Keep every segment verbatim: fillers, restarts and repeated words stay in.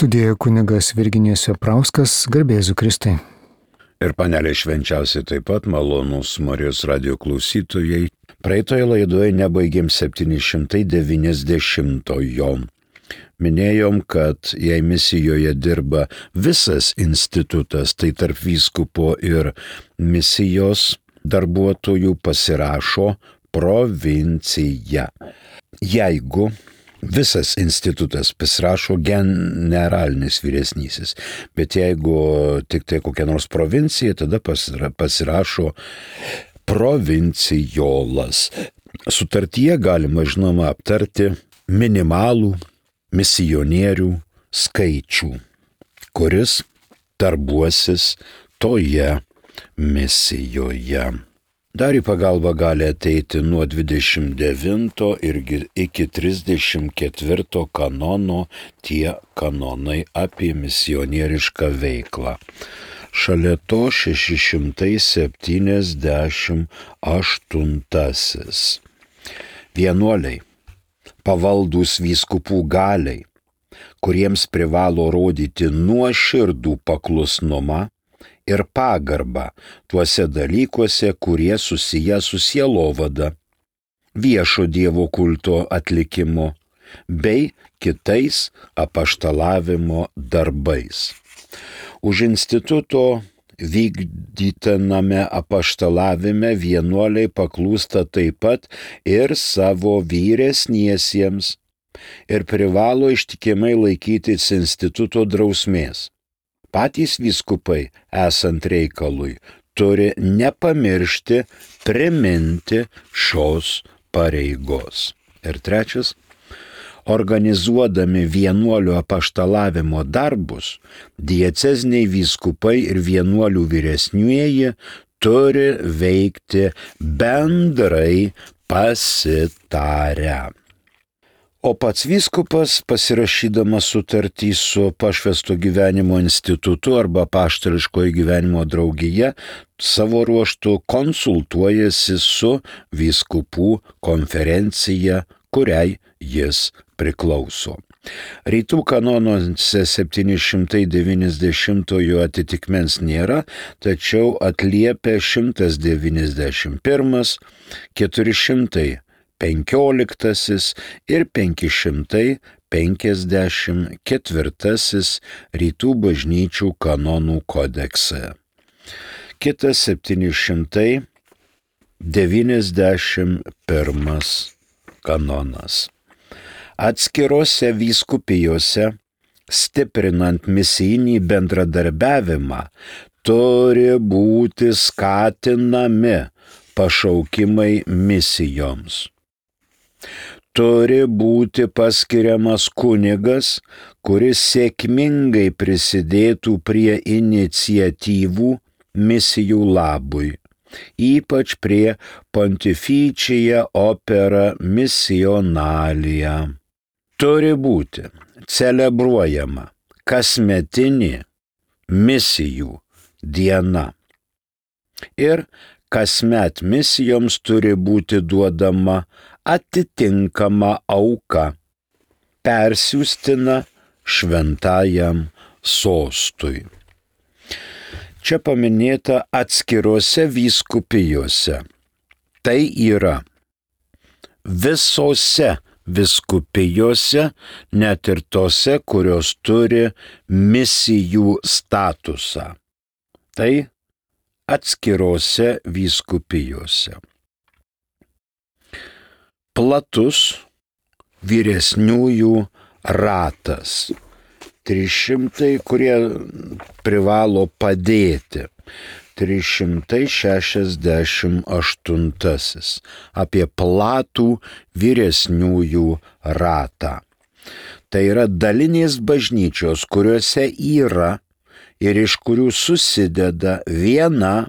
Studijoje kunigas Virginijus Veprauskas, garbėzu Kristai. Ir panelė švenčiausiai taip pat malonūs Marijos radijo klausytojai. Praeitoje laidoje nebaigėm septyni šimtai devyniasdešimtojo. Minėjom, kad jei misijoje dirba visas institutas, tai tarp vyskupo ir misijos darbuotojų pasirašo provincija. Jeigu visas institutas pasirašo generalinis vyresnysis, bet jeigu tik tai kokia nors provincija, tada pasirašo provincijolas. Sutartyje galima, žinoma, aptarti minimalų misionierių skaičių, kuris darbuosis toje misijoje. Dar į pagalbą gali ateiti nuo dvidešimt devinto iki trisdešimt ketvirto kanono tie kanonai apie misionierišką veiklą. Šalia to šeši šimtai septyniasdešimt aštuntasis. Vienuoliai, pavaldūs vyskupų galiai, kuriems privalo rodyti nuoširdų paklusnumą ir pagarbą tuose dalykuose, kurie susiję su sielovada, viešo Dievo kulto atlikimu bei kitais apaštalavimo darbais. Už instituto vykdytiname apaštalavime vienuoliai paklūsta taip pat ir savo vyresniesiems ir privalo ištikimai laikytis instituto drausmės. Patys vyskupai, esant reikalui, turi nepamiršti priminti šios pareigos. Ir trečias, organizuodami vienuolių apaštalavimo darbus, dieceziniai vyskupai ir vienuolių vyresnieji turi veikti bendrai pasitarę. O pats vyskupas, pasirašydamas sutartį su pašvęsto gyvenimo institutu arba apaštališkojo gyvenimo draugija, savo ruožtu konsultuojasi su vyskupų konferencija, kuriai jis priklauso. Rytų kanonuose septyni šimtai devyniasdešimtojo atitikmens nėra, tačiau atliepia šimtas devyniasdešimt pirmas, keturi šimtai penkioliktasis ir penki šimtai penkiasdešimt ketvirtasis rytų bažnyčių kanonų kodekse. Kitas septyni šimtai devyniasdešimt pirmas kanonas. Atskirose vyskupijose, stiprinant misijinį bendradarbiavimą, turi būti skatinami pašaukimai misijoms. Turi būti paskiriamas kunigas, kuris sėkmingai prisidėtų prie iniciatyvų misijų labui, ypač prie Pontificia Opera Missionalia. Turi būti celebruojama kasmetinė misijų diena. Ir kasmet misijoms turi būti duodama atitinkama auka, persiųstina šventajam sostui. Čia paminėta atskirose vyskupijose. Tai yra visose vyskupijose, net ir tose, kurios turi misijų statusą. Tai atskirose vyskupijose. Platus vyresniųjų ratas. trys šimtai, kurie privalo padėti. trys šimtai šešiasdešimt aštuntasis. Apie platų vyresniųjų ratą. Tai yra dalinės bažnyčios, kuriuose yra ir iš kurių susideda viena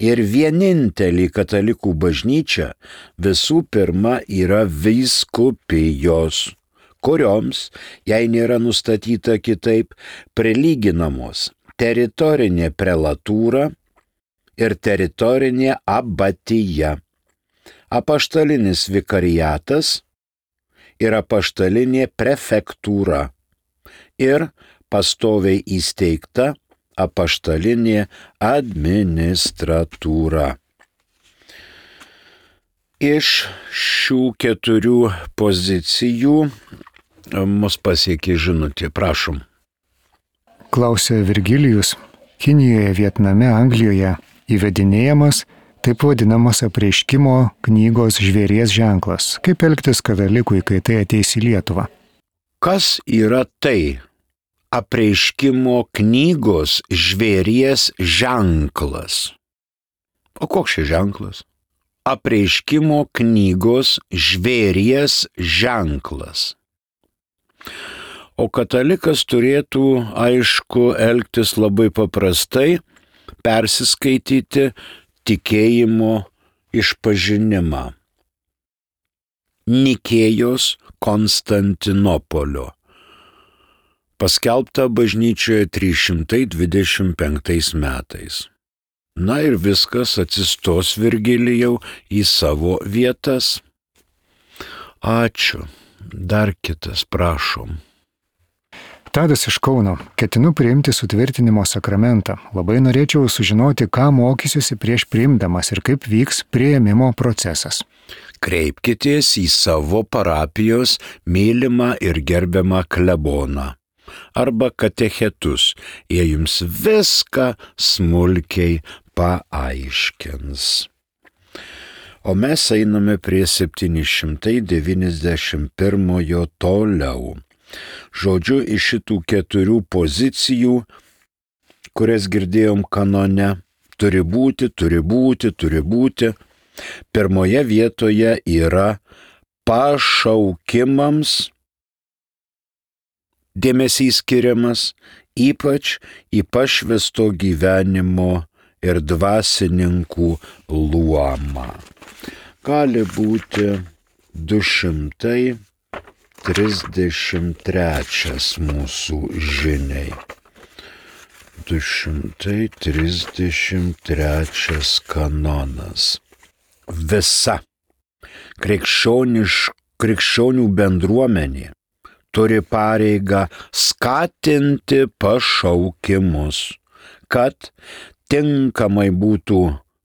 ir vienintelė katalikų bažnyčia, visų pirma yra vyskupijos, kurioms, jei nėra nustatyta kitaip, prilyginamos teritorinė prelatūra ir teritorinė abatija, apaštalinis vikariatas ir apaštalinė prefektūra ir pastoviai įsteigta apaštalinė administratūra. Iš šių keturių pozicijų mus pasiekė žinutė. Prašom. Klausė Virgilijus. Kinijoje, Vietname, Anglijoje įvedinėjamas taip vadinamas apreiškimo knygos žvėries ženklas. Kaip elgtis katalikui, kai tai ateis į Lietuvą? Kas yra tai? Apreiškimo knygos žvėries ženklas. O koks šis ženklas? Apreiškimo knygos žvėries ženklas. O katalikas turėtų, aišku, elgtis labai paprastai, persiskaityti tikėjimo išpažinimą. Nikėjos Konstantinopolio. Paskelbta bažnyčioje trys šimtai dvidešimt penktais metais. Na ir viskas, atsistos Virgilijau į savo vietas. Ačiū. Dar kitas, prašom. Tadas iš Kauno. Ketinu priimti sutvirtinimo sakramentą. Labai norėčiau sužinoti, ką mokysiuosi prieš priimdamas ir kaip vyks priėmimo procesas. Kreipkitės į savo parapijos mylimą ir gerbiamą kleboną arba katechetus. Jie jums viską smulkiai paaiškins. O mes einame prie septyni šimtai devyniasdešimt pirmojo toliau. Žodžiu, iš šitų keturių pozicijų, kurias girdėjom kanone, turi būti, turi būti, turi būti. Pirmoje vietoje yra pašaukimams dėmesys skiriamas, ypač į pašvęsto gyvenimo ir dvasininkų luomą. Gali būti du šimtai trisdešimt trečias mūsų žiniai. du šimtai trisdešimt trečias kanonas. Visa krikščioniš, krikščionių bendruomenė turi pareigą skatinti pašaukimus, kad tinkamai būtų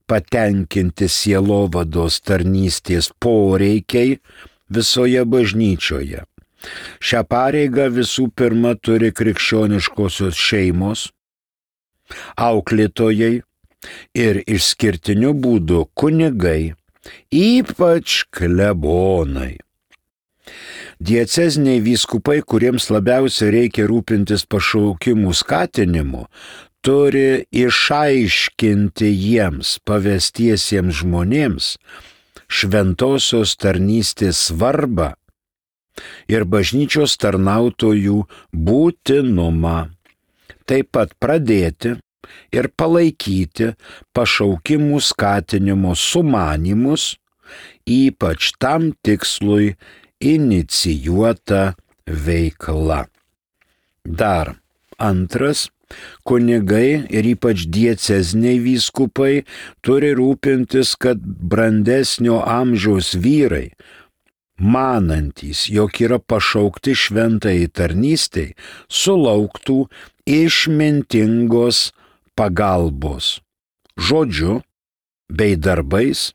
patenkinti sielovados tarnystės poreikiai visoje bažnyčioje. Šią pareigą visų pirma turi krikščioniškosios šeimos, auklėtojai ir išskirtiniu būdu kunigai, ypač klebonai. Dieceziniai vyskupai, kuriems labiausiai reikia rūpintis pašaukimų skatinimu, turi išaiškinti jiems pavestiesiems žmonėms šventosios tarnystės svarbą ir bažnyčios tarnautojų būtinumą. Taip pat pradėti ir palaikyti pašaukimų skatinimo sumanymus, ypač tam tikslui inicijuota veikla. Dar antras, kunigai ir ypač dieceziniai vyskupai turi rūpintis, kad brandesnio amžiaus vyrai, manantys, jog yra pašaukti šventai tarnystei, sulauktų išmintingos pagalbos žodžiu bei darbais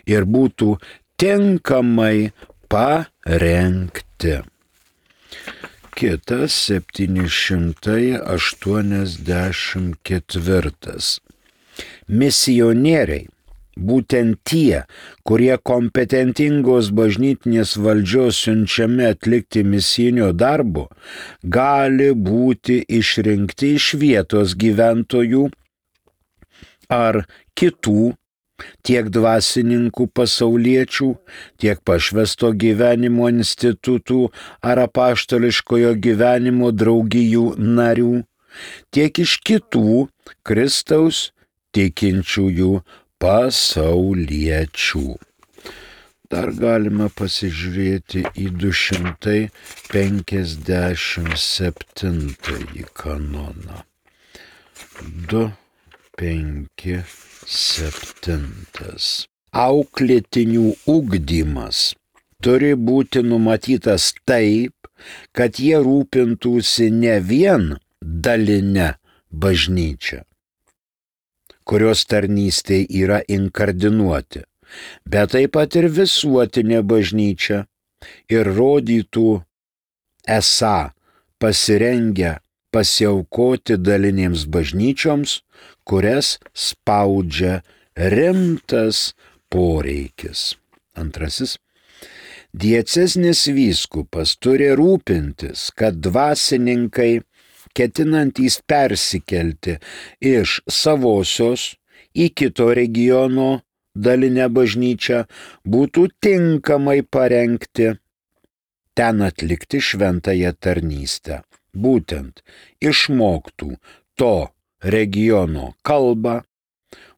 ir būtų tinkamai parengti. Kitas septyni šimtai aštuoniasdešimt ketvirtas. Misionieriai, būtent tie, kurie kompetentingos bažnytinės valdžios siunčiami atlikti misijinio darbo, gali būti išrinkti iš vietos gyventojų ar kitų, tiek dvasininkų pasauliečių, tiek pašvęsto gyvenimo institutų ar apaštališkojo gyvenimo draugijų narių, tiek iš kitų Kristaus tikinčiųjų pasauliečių. Dar galime pasižiūrėti į du šimtai penkiasdešimt septintąjį kanoną. du penki septintas. Auklėtinių ugdymas turi būti numatytas taip, kad jie rūpintųsi ne vien daline bažnyčia, kurios tarnystė yra inkardinuoti, bet taip pat ir visuotinė bažnyčia ir rodytų esą pasirengę pasiaukoti dalinėms bažnyčioms, kurias spaudžia rimtas poreikis. Antrasis. Dieceznis vyskupas turi rūpintis, kad dvasininkai, ketinantys persikelti iš savosios į kito regiono dalinę bažnyčią, būtų tinkamai parengti ten atlikti šventąją tarnystę. Būtent išmoktų to regiono kalbą,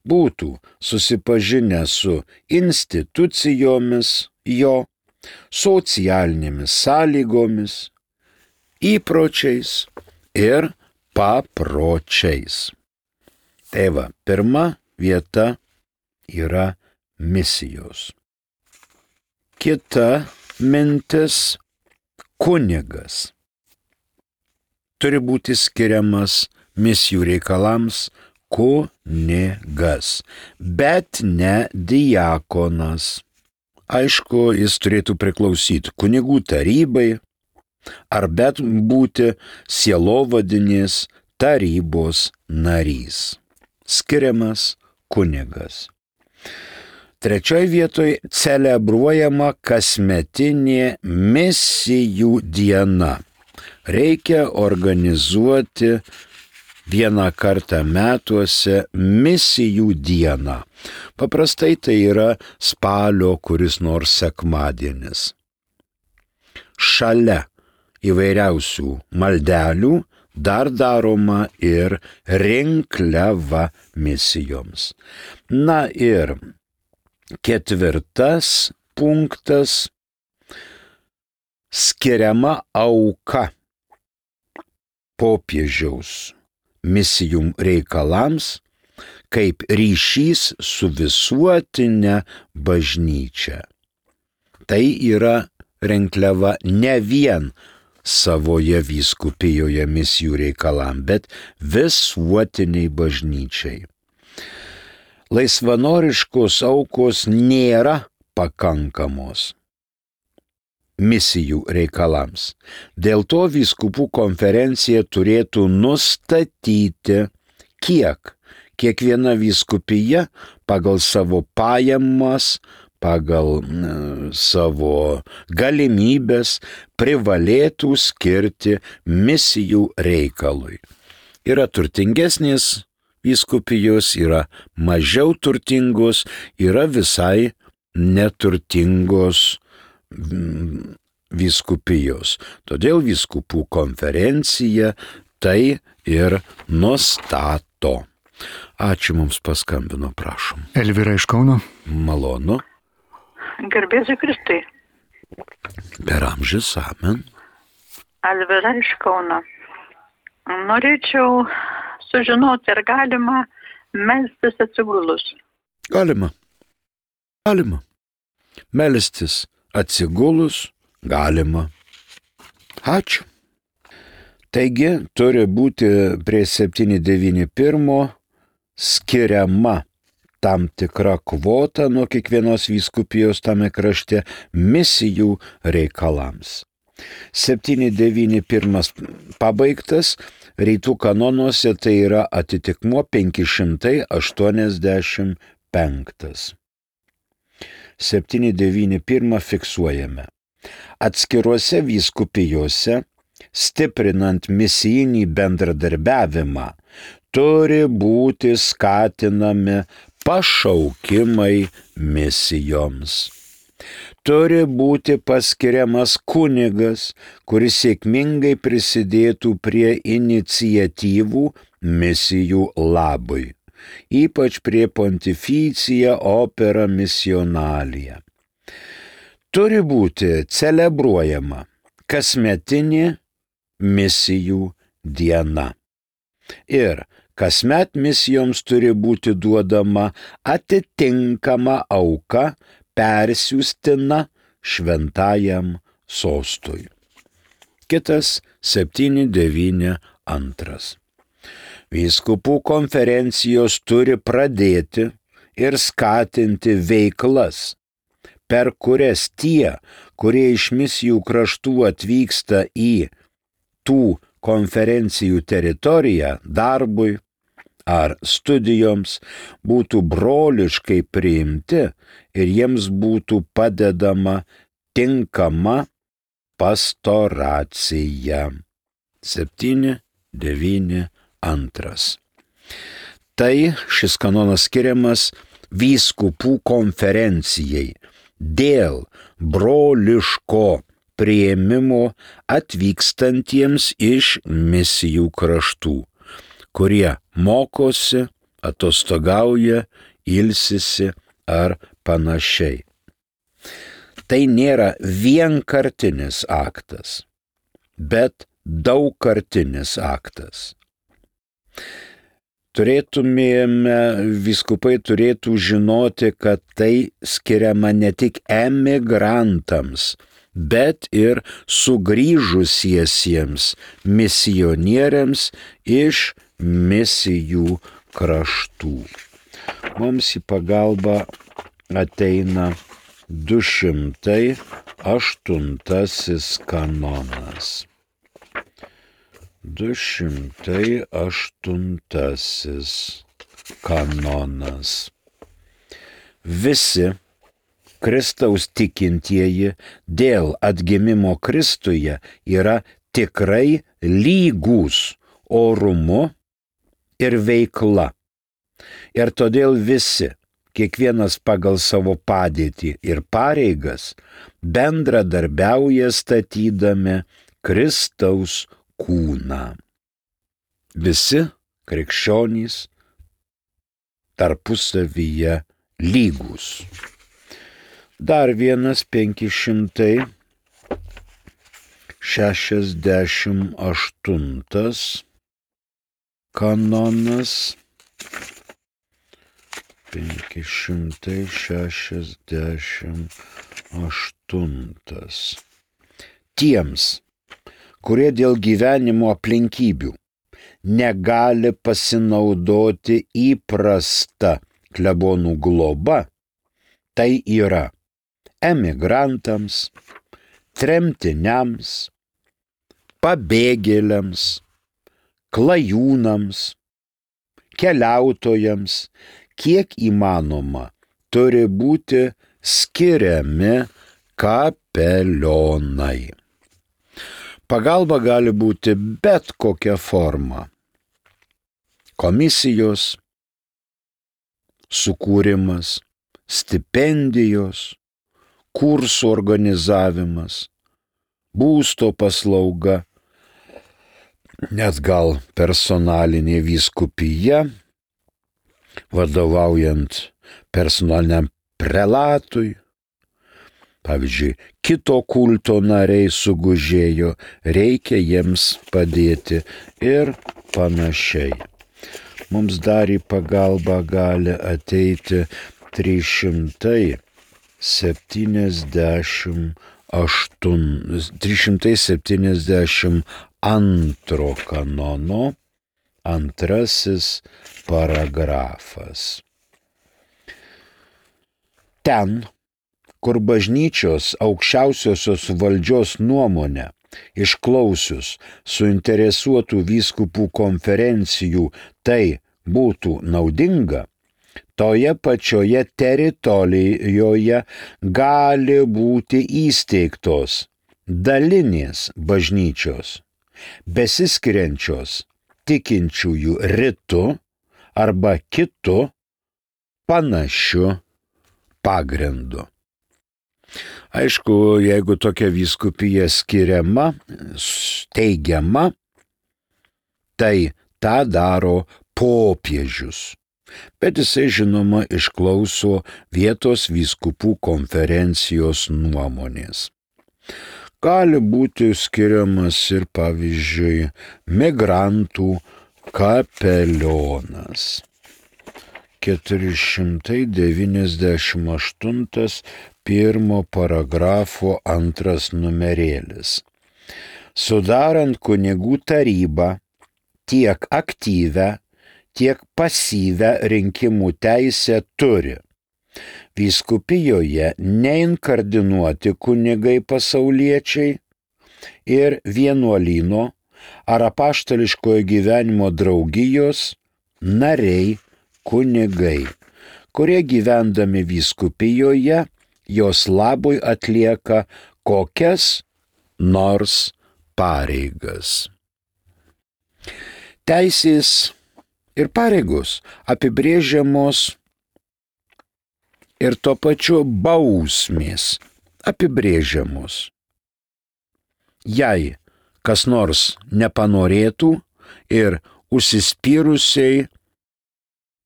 būtų susipažinę su institucijomis jo, socialinėmis sąlygomis, įpročiais ir papročiais. Tai va, pirma vieta yra misijos. Kita mintis – kunigas. Turi būti skiriamas misijų reikalams kunigas, bet ne diakonas. Aišku, jis turėtų priklausyti kunigų tarybai ar bet būti sielovadinės tarybos narys. Skiriamas kunigas. Trečioj vietoj celebruojama kasmetinė misijų diena. Reikia organizuoti vieną kartą metuose misijų dieną. Paprastai tai yra spalio kuris nors sekmadienis. Šalia įvairiausių maldelių dar daroma ir rinkliava misijoms. Na ir ketvirtas punktas – skiriama auka popiežiaus misijų reikalams kaip ryšys su visuotinė bažnyčia. Tai yra rinkliava ne vien savoje vyskupijoje misijų reikalam, bet visuotiniai bažnyčiai. Laisvanoriškos aukos nėra pakankamos misijų reikalams. Dėl to vyskupų konferencija turėtų nustatyti, kiek kiekviena vyskupija pagal savo pajamas, pagal savo galimybės privalėtų skirti misijų reikalui. Yra turtingesnės vyskupijos, yra mažiau turtingos, yra visai neturtingos vyskupijos. Todėl vyskupų konferencija tai ir nustato. Ačiū, mums paskambino, prašom. Elvyra iš Kauno. Malonu. Garbėsiu Kristui. Per amžius, amen. Elvyra iš Kauno. Norėčiau sužinoti, ar galima melstis atsigulus. Galima. Galima. Melstis atsigulus galima. Ačiū. Taigi, turi būti prie septyni devyni pirmo skiriama tam tikra kvota nuo kiekvienos vyskupijos tame krašte misijų reikalams. septyni devyni pirmas pabaigtas, rytų kanonuose tai yra atitikmuo penki šimtai aštuoniasdešimt penktas. septyni devyni pirmą fiksuojame. Atskiruose vyskupijose, stiprinant misijinį bendradarbiavimą, turi būti skatinami pašaukimai misijoms. Turi būti paskiriamas kunigas, kuris sėkmingai prisidėtų prie iniciatyvų misijų labui, ypač prie Pontificia Opera Missionalia. Turi būti celebruojama kasmetinė misijų diena. Ir kasmet misijoms turi būti duodama atitinkama auka persiųstina šventajam sostui. kitas septyni devyni antras. Vyskupų konferencijos turi pradėti ir skatinti veiklas, per kurias tie, kurie iš misijų kraštų atvyksta į tų konferencijų teritoriją darbui ar studijoms, būtų broliškai priimti ir jiems būtų padedama tinkama pastoracija. septyni devyni antras. Tai šis kanonas skiriamas vyskupų konferencijai dėl broliško priėmimo atvykstantiems iš misijų kraštų, kurie mokosi, atostogauja, ilsisi ar panašiai. Tai nėra vienkartinis aktas, bet daugkartinis aktas. Turėtumėme, vyskupai turėtų žinoti, kad tai skiriama ne tik emigrantams, bet ir sugrįžusiesiems misionieriams iš misijų kraštų. Mums į pagalbą ateina du šimtai aštuntasis kanonas. Du šimtai aštuntasis kanonas. Visi Kristaus tikintieji dėl atgimimo Kristuje yra tikrai lygūs orumu ir veikla. Ir todėl visi, kiekvienas pagal savo padėtį ir pareigas, bendradarbiauja statydami Kristaus kūną. Visi krikščionys tarpusavyje lygūs. Dar vienas penki šimtai šešiasdešimt aštuntas kanonas. penki šimtai šešiasdešimt aštuntas. Tiems, kurie dėl gyvenimo aplinkybių negali pasinaudoti įprasta klebonų globa, tai yra emigrantams, tremtiniams, pabėgėliams, klajūnams, keliautojams, kiek įmanoma, turi būti skiriami kapelionai. Pagalba gali būti bet kokia forma. Komisijos, sukūrimas, stipendijos, kursų organizavimas, būsto paslauga, net gal personalinė vyskupija, vadovaujant personaliniam prelatui. Pavyzdžiui, kito kulto nariai sugužėjo, reikia jiems padėti ir panašiai. Mums dar į pagalbą gali ateiti trys šimtai septyniasdešimt aštuntas, trys šimtai septyniasdešimt antro kanono antrasis paragrafas. Ten, kur bažnyčios aukščiausiosios valdžios nuomonę išklausius suinteresuotų vyskupų konferencijų tai būtų naudinga, toje pačioje teritorijoje gali būti įsteigtos dalinės bažnyčios, besiskiriančios tikinčiųjų ritu arba kitu panašiu pagrindu. Aišku, jeigu tokia vyskupija skiriama, steigiama, tai tą daro popiežius. Bet jisai, žinoma, išklauso vietos vyskupų konferencijos nuomonės. Gali būti skiriamas ir, pavyzdžiui, migrantų kapelionas. keturi šimtai devyniasdešimt aštuntas pirmo paragrafo antras numerėlis. sudarant kunigų tarybą, tiek aktyvę, tiek pasyvę rinkimų teisę turi vyskupijoje neinkardinuoti kunigai pasauliečiai ir vienuolyno ar apaštališkojo gyvenimo draugijos nariai kunigai, kurie gyvendami vyskupijoje jos labui atlieka kokias nors pareigas. Teisės ir pareigos apibrėžiamos ir tuo pačiu bausmės apibrėžiamos. Jei kas nors nepanorėtų ir užsispyrusiai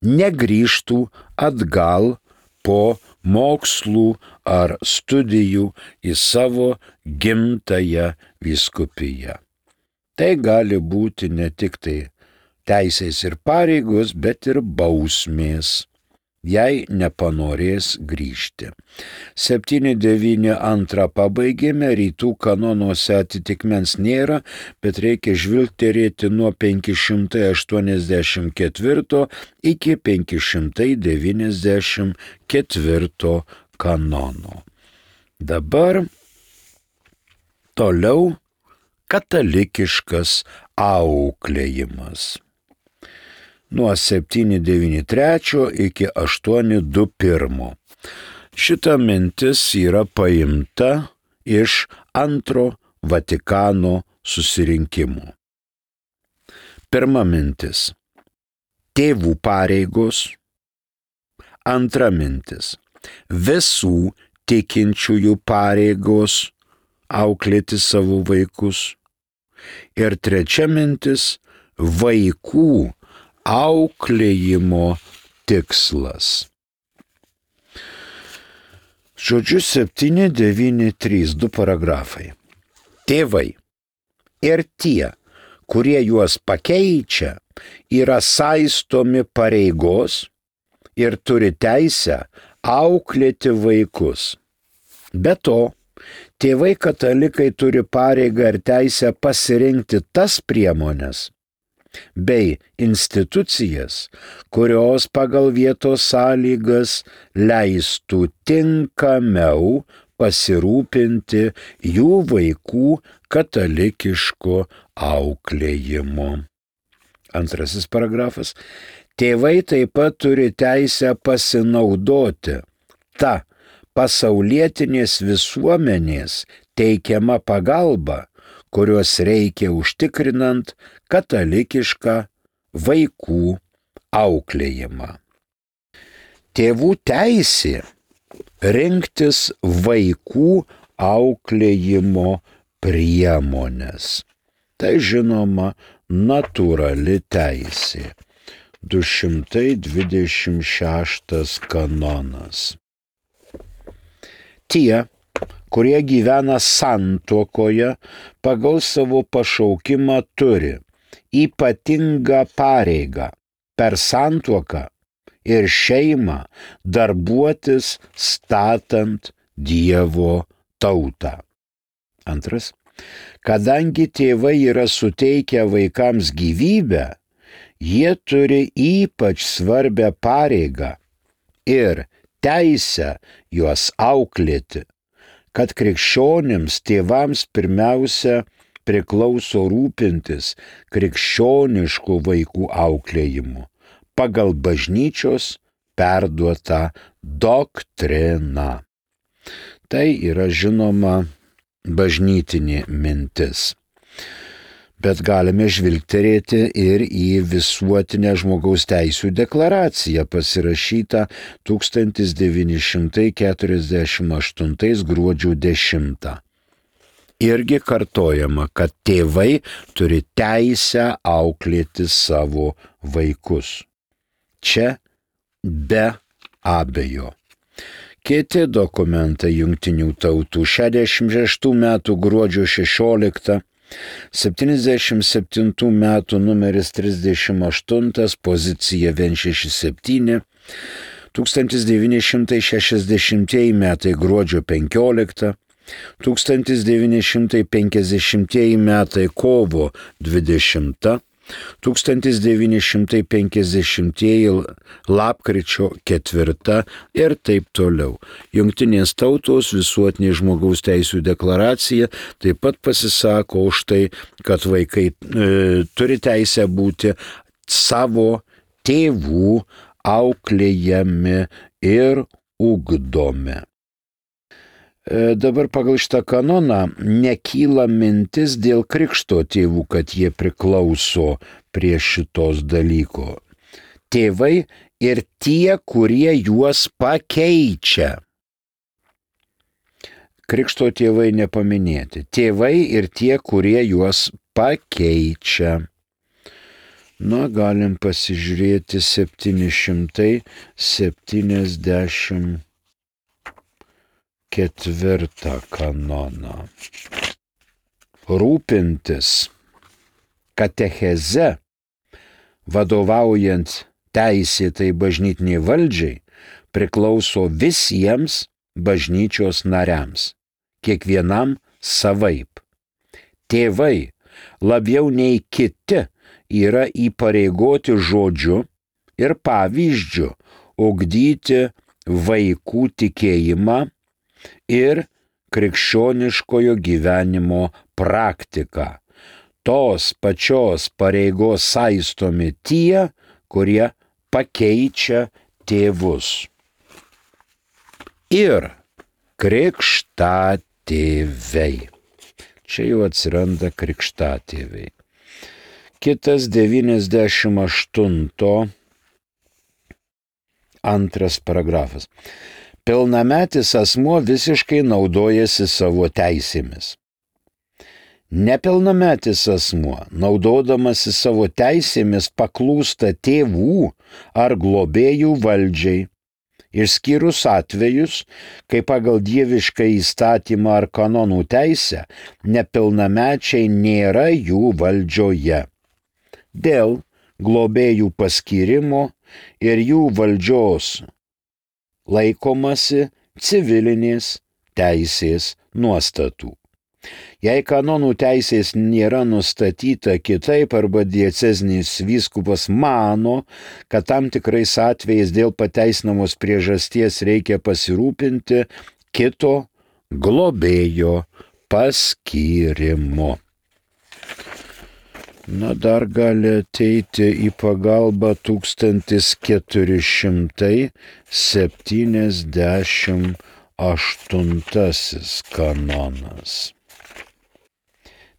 negrįžtų atgal po mokslų ar studijų į savo gimtąją vyskupiją. Tai gali būti ne tik tai teisės ir pareigos, bet ir bausmės, jei nepanorės grįžti. septyni devyni antrą pabaigėme, rytų kanonuose atitikmens nėra, bet reikia žvilgterėti nuo penki šimtai aštuoniasdešimt ketvirto iki penki šimtai devyniasdešimt ketvirto kanono. Dabar toliau katalikiškas auklėjimas. Nuo septyni devyni trečio iki aštuoni du pirmo. Šita mintis yra paimta iš antro Vatikano susirinkimo. Pirma mintis – tėvų pareigos. Antra mintis – visų tikinčiųjų pareigos auklėti savo vaikus. Ir trečia mintis – vaikų auklėjimo tikslas. Žodžiu, septyni devyni trys, du paragrafai. Tėvai ir tie, kurie juos pakeičia, yra saistomi pareigos ir turi teisę auklėti vaikus. Be to, tėvai katalikai turi pareigą ir teisę pasirinkti tas priemones bei institucijas, kurios pagal vietos sąlygas leistų tinkamiau pasirūpinti jų vaikų katalikiško auklėjimo. Antrasis paragrafas. Tėvai taip pat turi teisę pasinaudoti ta pasaulietinės visuomenės teikiama pagalba, kurios reikia užtikrinant katalikišką vaikų auklėjimą. Tėvų teisė rinktis vaikų auklėjimo priemones. Tai žinoma natūrali teisė. du šimtai dvidešimt šeštas kanonas. Tie, kurie gyvena santuokoje, pagal savo pašaukimą turi ypatingą pareigą per santuoką ir šeimą darbuotis statant Dievo tautą. Antras. Kadangi tėvai yra suteikę vaikams gyvybę, jie turi ypač svarbią pareigą ir teisę juos auklėti, kad krikščionims tėvams pirmiausia priklauso rūpintis krikščioniškų vaikų auklėjimu pagal bažnyčios perduotą doktriną. Tai yra žinoma bažnytinė mintis. Bet galime žvilgterėti ir į visuotinę žmogaus teisių deklaraciją pasirašytą tūkstantis devyni šimtai keturiasdešimt aštuntais gruodžio dešimtą. Irgi kartojama, kad tėvai turi teisę auklėti savo vaikus. Čia be abejo. Kiti dokumentai Jungtinių tautų šešiasdešimt šeštų metų gruodžio šešioliktą, septyniasdešimt septintų metų numeris trisdešimt aštuntas, pozicija vienas šeši septyni, tūkstantis devyni šimtai šešiasdešimtieji metai gruodžio penkioliktą, tūkstantis devyni šimtai penkiasdešimtieji metai kovo dvidešimta, tūkstantis devyni šimtai penkiasdešimtieji lapkričio ketvirta ir taip toliau. Jungtinės tautos visuotinė žmogaus teisų deklaracija taip pat pasisako už tai, kad vaikai e, turi teisę būti savo tėvų auklėjami ir ugdomi. Dabar pagal šitą kanoną nekyla mintis dėl krikšto tėvų, kad jie priklauso prie šitos dalyko. Tėvai ir tie, kurie juos pakeičia. Krikšto tėvai nepaminėti. Tėvai ir tie, kurie juos pakeičia. Na, galim pasižiūrėti septyni šimtai septyniasdešimt ketvirtą kanoną. Rūpintis katecheze, vadovaujant teisėtai bažnytiniai valdžiai, priklauso visiems bažnyčios nariams, kiekvienam savaip. Tėvai labiau nei kiti yra įpareigoti žodžiu ir pavyzdžiu ugdyti vaikų tikėjimą ir krikščioniškojo gyvenimo praktiką. Tos pačios pareigos saistomi tie, kurie pakeičia tėvus. Ir krikštatėviai. Čia jau atsiranda krikštatėviai. Kitas devyniasdešimt aštunto antras paragrafas. Pilnametis asmuo visiškai naudojasi savo teisėmis. Nepilnametis asmuo, naudodamasi savo teisėmis, paklūsta tėvų ar globėjų valdžiai, išskyrus atvejus, kai pagal dievišką įstatymą ar kanonų teisę nepilnamečiai nėra jų valdžioje. Dėl globėjų paskyrimo ir jų valdžios laikomasi civilinės teisės nuostatų. Jei kanonų teisės nėra nustatyta kitaip arba diecezinis vyskupas mano, kad tam tikrais atvejais dėl pateisinamos priežasties reikia pasirūpinti kito globėjo paskyrimo. Na, dar gali ateiti į pagalbą tūkstantis keturi šimtai septyniasdešimt aštuntasis kanonas.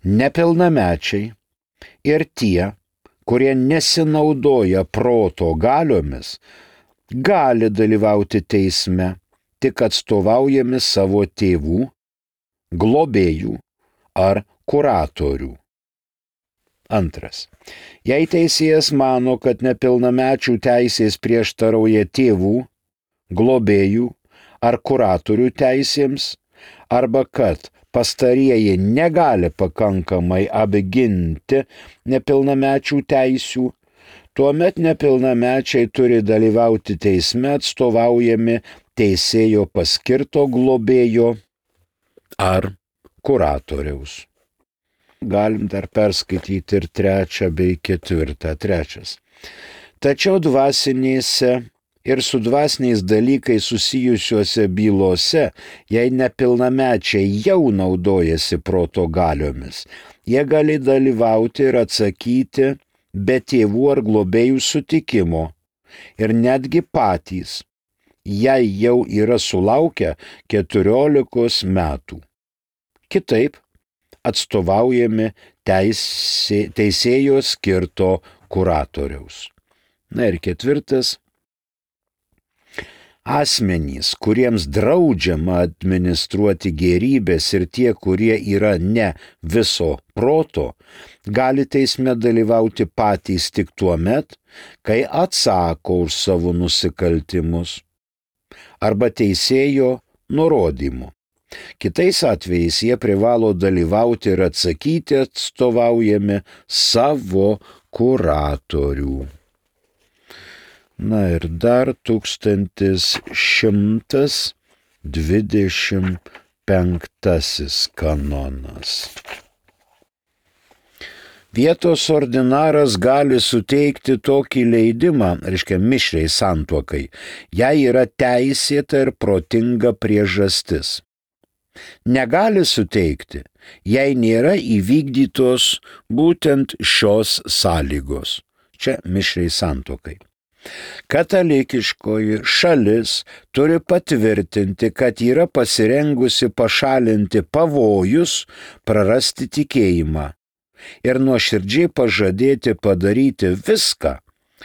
Nepilnamečiai ir tie, kurie nesinaudoja proto galiomis, gali dalyvauti teisme, tik atstovaujami savo tėvų, globėjų ar kuratorių. Antras. Jei teisėjas mano, kad nepilnamečių teisės prieštarauja tėvų, globėjų ar kuratorių teisėms, arba kad pastarieji negali pakankamai apginti nepilnamečių teisių, tuomet nepilnamečiai turi dalyvauti teisme atstovaujami teisėjo paskirto globėjo ar kuratoriaus. Galim dar perskaityti ir trečią bei ketvirtą. Trečias. Tačiau dvasinėse ir su dvasiniais dalykais susijusiuose bylose, jei nepilnamečiai jau naudojasi proto galiomis, jie gali dalyvauti ir atsakyti be tėvų ar globėjų sutikimo ir netgi patys, jei jau yra sulaukę keturiolikos metų. Kitaip atstovaujami teisė, teisėjo skirto kuratoriaus. Na ir ketvirtas. Asmenys, kuriems draudžiama administruoti gėrybės ir tie, kurie yra ne viso proto, gali teisme dalyvauti patys tik tuo met, kai atsako už savo nusikaltimus arba teisėjo nurodymu. Kitais atvejais jie privalo dalyvauti ir atsakyti atstovaujami savo kuratorių. Na ir dar tūkstantis šimtas dvidešimt Penktasis kanonas. Vietos ordinaras gali suteikti tokį leidimą, reiškia mišriai santuokai, jei yra teisėta ir protinga priežastis. Negali suteikti, jei nėra įvykdytos būtent šios sąlygos. Čia mišriai santuokai. Katalikiškoji šalis turi patvirtinti, kad yra pasirengusi pašalinti pavojus, prarasti tikėjimą ir nuoširdžiai pažadėti padaryti viską,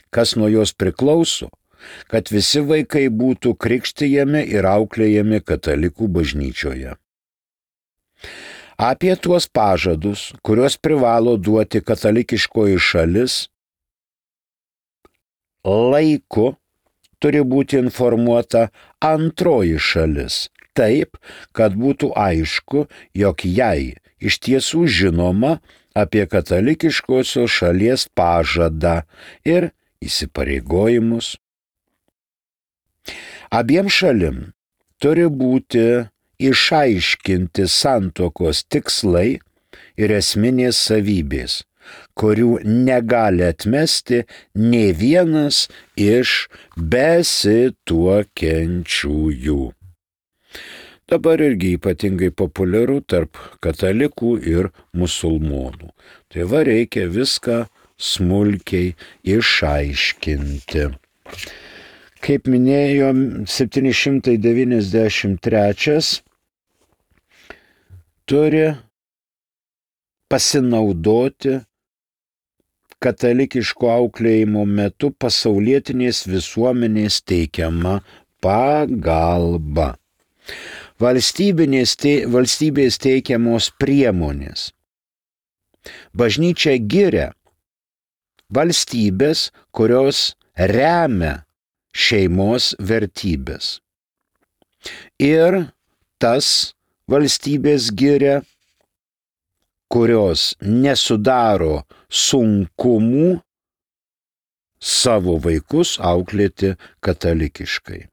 kas nuo jos priklauso, kad visi vaikai būtų krikštijami ir auklėjami katalikų bažnyčioje. Apie tuos pažadus, kuriuos privalo duoti katalikiškoji šalis, laiku turi būti informuota antroji šalis, taip, kad būtų aišku, jog jai iš tiesų žinoma apie katalikiškosios šalies pažadą ir įsipareigojimus. Abiem šalim turi būti išaiškinti santuokos tikslai ir esminės savybės, kurių negali atmesti nė vienas iš besituokiančiųjų. Dabar irgi ypatingai populiaru tarp katalikų ir musulmonų. Tai va reikia viską smulkiai išaiškinti. Kaip minėjom, septyni šimtai devyniasdešimt trečias turi pasinaudoti katalikiško auklėjimo metu pasaulietinės visuomenės teikiama pagalba. Valstybinės te, valstybės teikiamos priemonės. Bažnyčia giria valstybės, kurios remia šeimos vertybės. Ir tas valstybės giria, kurios nesudaro sunkumų savo vaikus auklėti katalikiškai.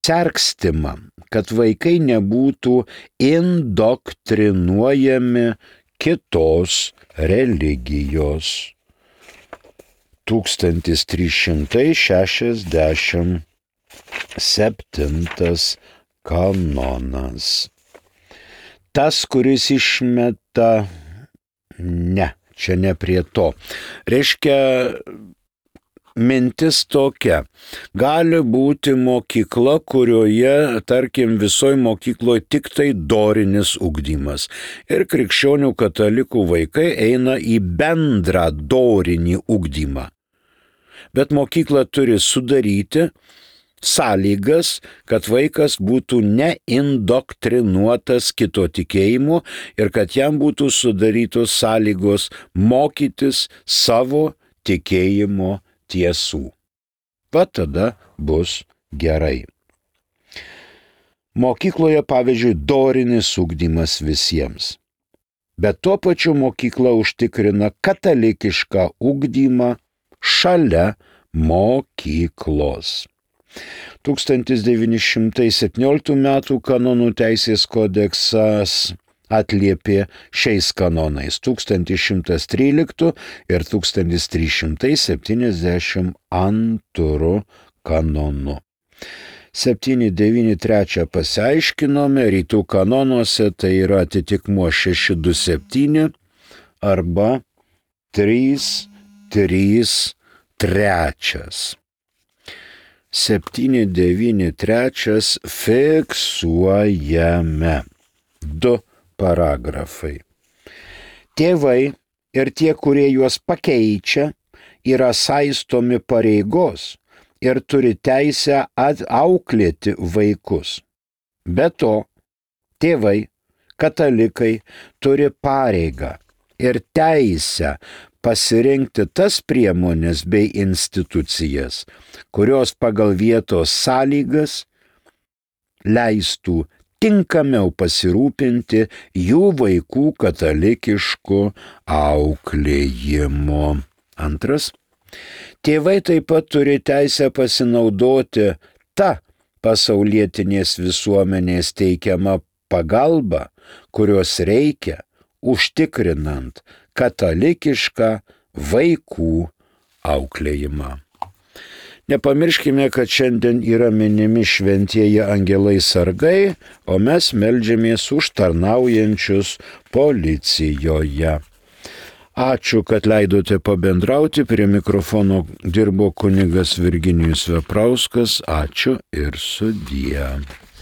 Sergstima, kad vaikai nebūtų indoktrinuojami kitos religijos. tūkstantis trys šimtai šešiasdešimt septintas kanonas. Tas, kuris išmeta, ne, čia ne prie to. Reiškia, mintis tokia. Gali būti mokykla, kurioje, tarkim, visoje mokykloje tik tai dorinis ugdymas. Ir krikščionių katalikų vaikai eina į bendrą dorinį ugdymą. Bet mokykla turi sudaryti sąlygas, kad vaikas būtų neindoktrinuotas kito tikėjimu ir kad jam būtų sudarytos sąlygos mokytis savo tikėjimo tiesų. Va tada bus gerai. Mokykloje, pavyzdžiui, dorinis ugdymas visiems. Bet tuo pačiu mokykla užtikrina katalikišką ugdymą šalia mokyklos. tūkstantis devyni šimtai septynioliktų metų kanonų teisės kodeksas atliepė šiais kanonais tūkstantis šimtas tryliktų ir tūkstantis trys šimtai septyniasdešimt antrų kanonų. septyni devyni trys pasiaiškinome, rytų kanonuose tai yra atitikmuo šeši du septyni arba trys trys trys. septyni devyni trys fiksuojame du paragrafai. Tėvai ir tie, kurie juos pakeičia, yra saistomi pareigos ir turi teisę auklėti vaikus. Be to, tėvai, katalikai, turi pareigą ir teisę pasirinkti tas priemonės bei institucijas, kurios pagal vietos sąlygas leistų tinkamiau pasirūpinti jų vaikų katalikišku auklėjimu. Antras. Tėvai taip pat turi teisę pasinaudoti tą pasaulietinės visuomenės teikiamą pagalbą, kurios reikia užtikrinant katalikišką vaikų auklėjimą. Nepamirškime, kad šiandien yra minimi šventieji angelai sargai, o mes meldžiamės už tarnaujančius policijoje. Ačiū, kad leidote pabendrauti, prie mikrofono dirbo kunigas Virginijus Veprauskas, ačiū ir sudie.